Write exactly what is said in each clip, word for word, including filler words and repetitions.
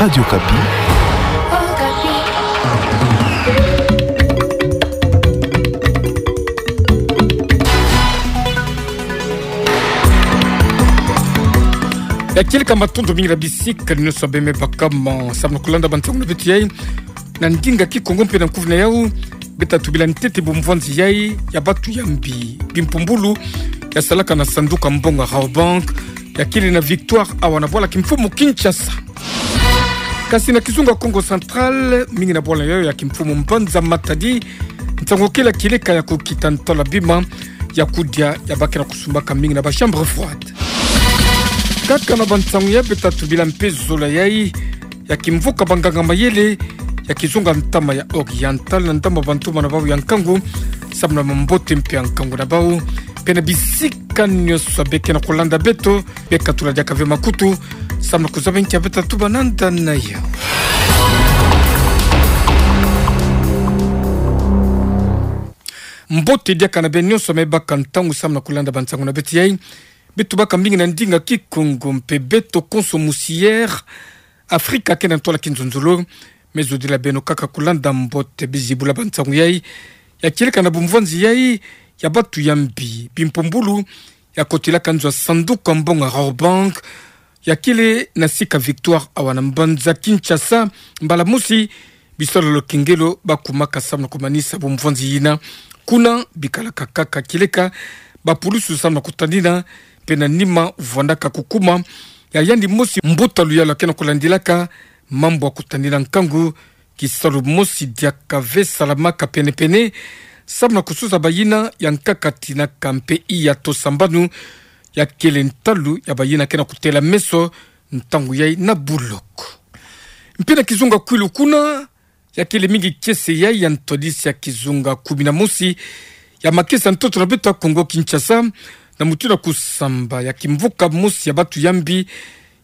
Radio Okapi. Ya kieleka, matondo mingi na bisika ni nyonso beme baka ma samu na kulanda bantangu na beto yai na ndinga Kikongo mpe na nkufi na yau. Beta tubila ntete bumvwanzi yai ya batu ya mbi, bimpumbulu, ya salaka na sanduku ya mbongo ya Rabobank, ya kele na Victoire awa na bwala kimfumu Kinshasa. Kasi na kizunga Kongo Central, mingi na bwala yai ya kimfumu mbanza Matadi, ntangu kele kieleka ya kukita ntwala bima ya kudia ya ba ke na kusumbaka mingi na ba chambre froide. Kaka na bantangu yai beta tubila mpe zola yai ya kimvuka banganga mayele ya kizunga ntama ya Oriental na ndambu bantuma na bau ya nkangu, samu na mambote mpe ya nkangu na bau, mpe na bisika nyonso be ke na kulanda beto, be katula diaka ve makutu, samu na kuzaba nki ya beta tubananda na yau. Mbote diaka na beno nyonso me baka ntangu samu na kulanda bantangu na beto yai. Beto baka mingi na ndinga Kikongo mpe beto konso musi yai, Afrika ke na ntwala kinzonzolo, me zodila beno kaka kulanda mbote bizibula bantangu yai, ya kieleka na bumvwanzi yai ya batu ya mbi, bimpumbulu, ya kotelaka nzo ya sanduku ya mbongo ya Rabobank, ya kele na sika Victoire awa na mbanza Kinshasa, mbala mosi bisalu ya lokengelo bakumaka samu na kumanisa bumvwanzi yina. Kuna bikalaka kaka kieleka bapulusu samu na kutadina, mpe na nima vwandaka kukuma ya yandi mosi mbuta luyalu ya ke na kulandilaka mambu ya kutadina nkangu, kisalu mosi diaka ve salamaka penepene, samu na kusosa bayina ya nkaka tinaka mpe iya to sambanu, ya kele ntalu ya bayina ke na kutela meso ntangu yai na buloko. Mpe na kizunga Kwilu kuna, ya kele mingi kiese yai ya ntwadisi ya kizunga kumi na mosi ya makesa ntoto na beto ya Kongo Kinshasa, na mutindu ya kusamba ya kimvuka mosi ya batu ya mbi,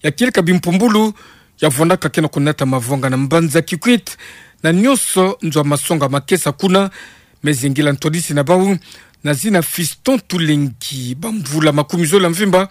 ya kieleka bimpumbulu, ya vwandaka ke na kunata mavwanga na mbanza Kikwit, na nyonso nzo ya masonga makesa kuna, me zingila ntwadisi na bau na zina Fiston Tulengi, bamvula makumi zole ya mvimba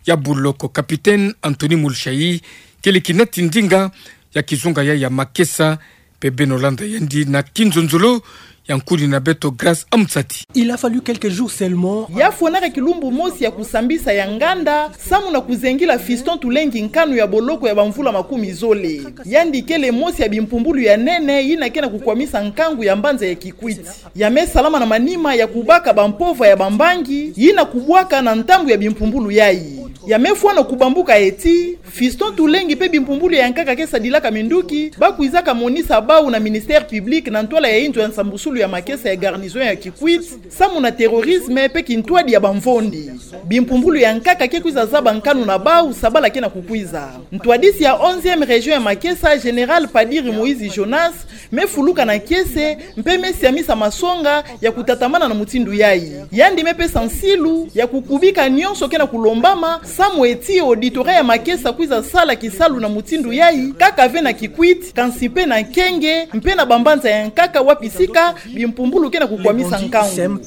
ya buloko. Capitaine Anthony Mulshayi kele kinati ndinga ya kizunga yai ya makesa, mpe beno landa yandi na kinzonzolo ya nkuni na beto Grace Amtsati. Il a fallu quelques jours seulement. Ya fwanaka kilumbu mosi ya kusambisa ya nganda, samu na kuzengila Fiston Tulengi nkanu ya boloko ya bamvula makumi zole. Yandi kele mosi ya bimpumbulu ya nene yina ke na kukwamisa nkangu ya mbanza ya Kikwit. Ya me salama na manima ya kubaka bampova ya bambangi yina kubwaka na ntambu ya bimpumbulu yai. Ya me fwana kubambuka eti, Fiston Tulengi mpe bimpumbulu ya nkaka ke sadilaka minduki, ba kwizaka monisa bau na ministère public na ntwala ya inzo ya nsambusulu ya makesa ya garnison ya Kikwit, samu na terrorisme mpe kintwadi ya bamvondi. Bimpumbulu ya nkaka ke kwiza zaba nkanu na bau, sabala ke na kukwiza. Ntwadisi ya onzième région ya makesa, général Padiri Moïse Jonas, me fuluka na kiese, mpe me siamisa masonga ya kutatamana na mutindu yai. Yandi me pesa nsilu ya kukubika nyonso ke na kulombama, samu eti auditorat ya makesa kwiza sala kisalu na mutindu yai, kaka ve na Kikwit, kansi mpe na Kenge, mpe na bambanza ya nkaka wapi sika bimpumbulu ke na kukwamisa nkangu.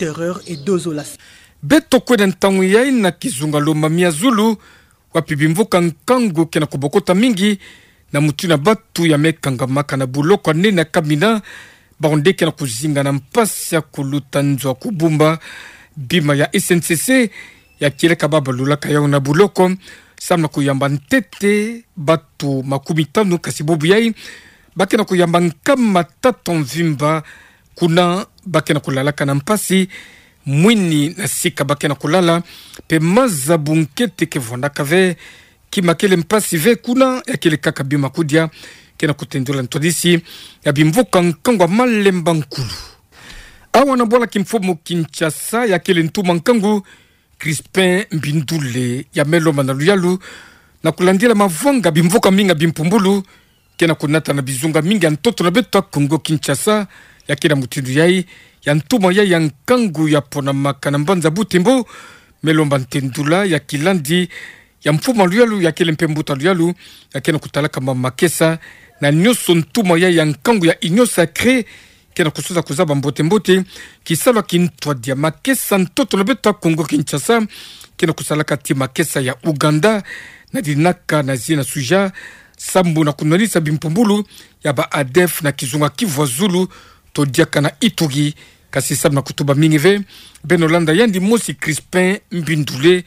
Beto kwenda ntangu yai na kizunga Lomami ya zulu, wapi bimvuka nkangu ke na kubokota mingi, na mutindu ya batu ya me kangamaka na buloko ya nene ya Kamina, bau nde ke na kuzinga na mpasi ya kuluta nzo ya kubumba bima ya S N C C, ya kieleka ba balulaka yau na buloko, samu na kuyamba ntete batu makumi tanu, kasi bubu yai ba ke na kuyamba nkama tatu ya mvimba, kuna ba ke na kulalaka na mpasi, mwini na sika ba ke na kulala, mpe maza bunkete ke vwandaka ve, kima kele mpasi ve kuna, ya kele kaka bima kudia, ke na kutendula ntwadisi ya bimvuka nkangu ya Malemba Nkulu. Awa na bwala kimfumu Kinshasa, ya kele ntuma nkangu, Crispin Mbindule, ya me lomba na luyalu, na kulandila mavwanga bimvuka mingi ya bimpumbulu, ke na kunata na bizunga mingi ya ntoto na beto ya Kongo Kinshasa, ya ke na mutindu yai, ya ntuma yai ya nkangu ya ponamaka na mbanza Butembo, me lomba ntendula ya kilandi ya mfumu ya luyalu, ya kele mpe mbuta luyalu, ya ke na kutalaka ma makesa, na nyonso ntuma yai ya nkangu ya Union Sacrée, ke na kusosa kuzaba mbote-mbote kisalu ya kintwadi ya makesa ntoto na beto ya Kongo Kinshasa, ke na kusalaka ti makesa ya Ouganda, na dinaka na zina suja, Sambu na kunwanisa bimpumbulu ya ba ADF na kizunga Kivu ya Zulu, to diaka na Ituri. Kasi sambu na kutuba mingi ve, beno landa yandi mosi Crispin Mbindule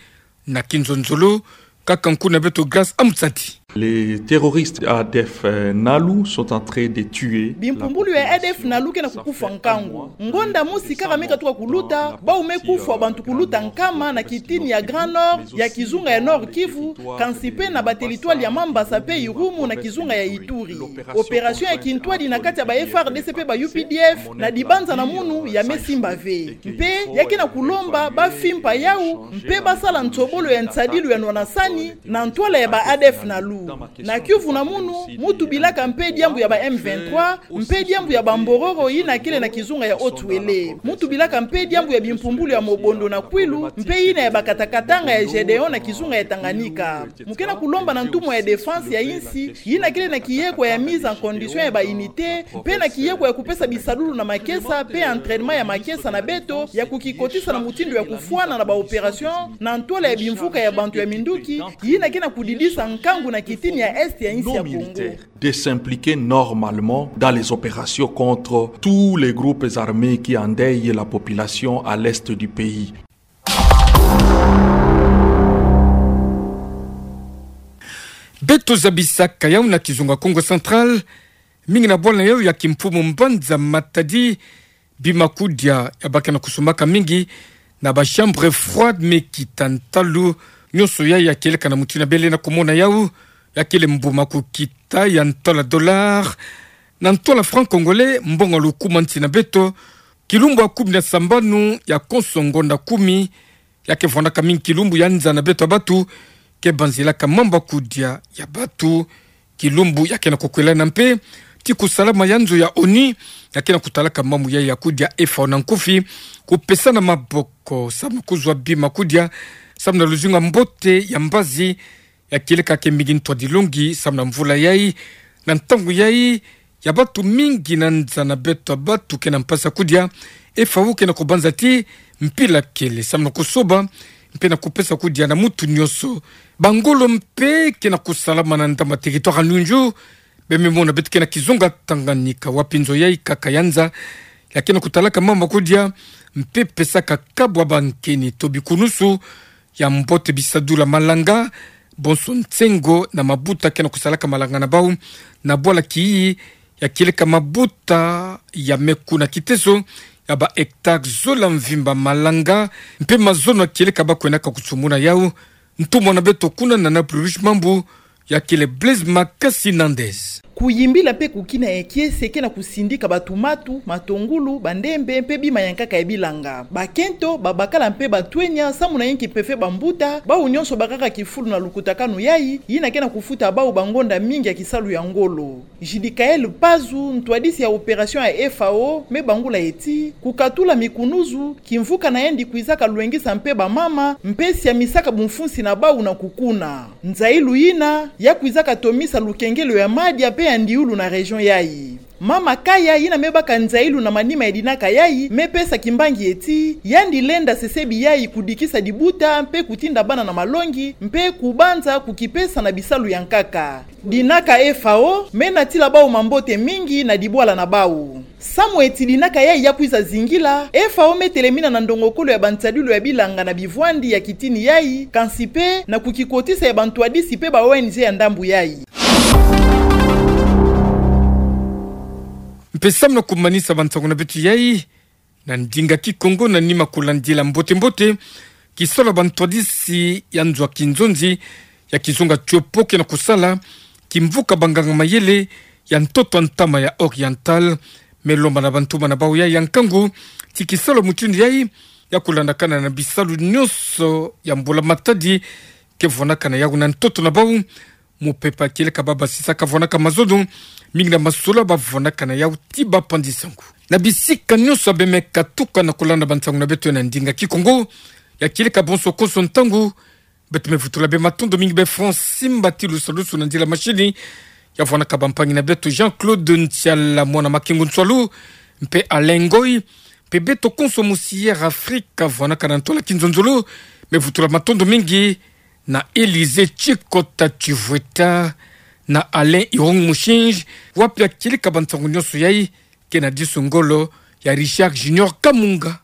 na kinzonzolo, kaka nku na beto Grace Amtsati. Les terroristes ADF, euh, Nalu sont en train de tuer. Bimpumbulu ya ADF Nalu ke na kukufwa nkangu. Ngonda mosi kaka me katuka kuluta, bau me kufwa bantu kuluta nkama na kitini ya Grand Nord, ya kizunga ya Nord-Kivu, kansi mpe na ba territoire ya Mambasa mpe Irumu na kizunga ya Ituri. Opération ya kintwadi na kati ya ba FARDC mpe ba UPDF na dibanza na munu ya me simba ve. Mpe ya ke na kulomba ba fimpa yau, mpe ba sala nsobolo ya nsadilu ya nwana sani, na ntwala ya ba ADF Nalu. Na Kivu na munu, mu tubilaka mpe diambu ya ba M vingt-trois, mpe diambu ya ba Mbororo yina kele na kizunga ya Haut-Uele. Mu tubilaka mpe diambu ya bimpumbulu ya Mobondo na Kwilu, mpe yina ya ba kata-katanga ya Gédéon na kizunga ya Tanganyika. Mu ke na kulomba na ntumwa ya défense ya insi, yina kele na kiyekwa ya mise en condition ya ba unité, mpe na kiyekwa ya kupesa bisadulu na makesa, mpe entraînement ya makesa na beto, ya kukikotisa na mutindu ya kufwana na ba opération, na ntwala ya bimvuka ya bantu ya minduki, yina ke na kudidisa nkangu na kitini ya Est ya insi ya Congo. De s'impliquer normalement dans les opérations contre tous les groupes armés qui endeuillent la population à l'est du pays. Beto zabisaka yau na kizunga Kongo Central, mingi na bwala yau ya kimfumu mbanza Matadi, bima kudia ya ba ke na kusumbaka mingi na ba chambre froide me kita ntalu, nyonso ya ya kieleka na mutindu bele na kumona yau, ya kele mbuma kukita ya ntwala dollar, na ntwala franc congolais, mbongo lukuma nsi na beto, kilumbu ya kumi na sambanu ya konso ngonda kumi, ya ke vwandaka mingi kilumbu ya nza na beto ya batu, ke banzilaka mamba kudia ya batu, kilumbu ya ke na kukwelana mpe ti kusalama ya nzo ya ONU, ya ke na kutalaka mambu ya ya kudia FAO na nkufi, kupesana maboko, samu na kuzwa bima kudia, samu na luzingu ya mbote ya mbazi, ya kieleka ke mingi ntwadi longi, samu na mvula yai, na ntangu yai, ya batu mingi na nza na beto ya batu ke na mpasi ya kudia, FAO ke na kubanza ti mpila kele, samu na kusoba, mpe na kupesa kudia na mutu nyonso. Bangolo mpe ke na kusalama na ndambu territoire ya Nyunju, beno me mona beto ke na kizunga Tanganyika, wapi nzo yai kaka ya nza, ya ke na kutalaka mamba kudia, mpe pesaka kabu ya bankeni to bikunusu, ya mbote bisadulu ya malanga, bonso nsengo na mabuta ke na kusalaka malanga na bau, na bwala kiyi, ya kieleka mabuta ya me kuna kiteso, ya ba hectare zola mvimba malanga, mpe mazono ya kieleka ba kwendaka kutsumuna yau, ntumwa na beto kuna na Napoli Riche Mambu, ya kele Blaise Makasi Nandez. Kuyimbila mpe kukina ya kiese ke na kusindika batumatu, matungulu, bandembe, mpe bima ya nkaka ya bilanga. Bakento, babakala mpe batwenya, samu na yinki mpe fe bambuta, bau nyonso bakaka kifulu na lukutakanu yai, yina ke na kufuta bau bangonda mingi ya kisalu ya ngolo. Jidikael Pazu, ntwadisi ya opération ya FAO, me bangula eti, kukatula mikunuzu, kimvuka na yandi kwizaka lwengisa mpe bamama, mpe siamisaka bumfunsi na bau na kukuna. Nzailu yina, ya kwizaka tomisa lukengelo ya madia mpe ya ndiulu na région yai. Mama Kaya, yina me baka nzailu na manima ya dinaka yai, me pesa kimbangi eti, yandi lenda sesebi yai kudikisa dibuta mpe kutinda bana na malongi, mpe kubanza kukipesa na bisalu ya nkaka. Dinaka FAO, me natila bau mambote mingi na dibwala na bau. Samu eti dinaka yai ya kwiza zingila, FAO me telemina na ndongokolo ya bansadilu ya bilanga na bivwandi ya kitini yai, kansi mpe na kukikotisa ya bantwadisi mpe ba ONG ya ndambu yai. Mpe samu na kumanisa bansangu na beto yai, na ndinga Kikongo, na nima kulandila mbote-mbote kisalu ya bantwadisi ya nzo ya kinzonzi ya kizunga Tiopo ke na kusala, kimvuka banganga-mayele ya ntoto ya ntama ya Oriental, me lomba na bantuma na bau yai ya nkangu, ti kisalu ya mutindu yai, ya kulandakana na bisalu nyonso ya mbula-matadi, ke vwanakana yau na ntoto na bau, mupepe kieleka ba basisaka vwanaka mazono, mingi na masolo ba vwanakana yau ti ba panzi-nsangu. Na bisika nyonso beno me katuka na kulanda bansangu na beto na ndinga Kikongo, ya kieleka bonso konso ntangu, beto me vutula beno matondo mingi, beno Francine Mbati Lusalusu na nzila mashini, ya vwanaka bampangi na beto Jean-Claude Ntiala, mwana Makengo Nsualu, mpe Alain Ngoyi, mpe beto konso musi Air Afrique, vwanaka na ntola kinzonzolo, me vutula matondo mingi, na Élysée Tshikota Tshivweta, na Alain Irung Mushinji, wa pia kili kabantongo nyoso yai, kena disu ngolo ya Richard Junior Kamunga.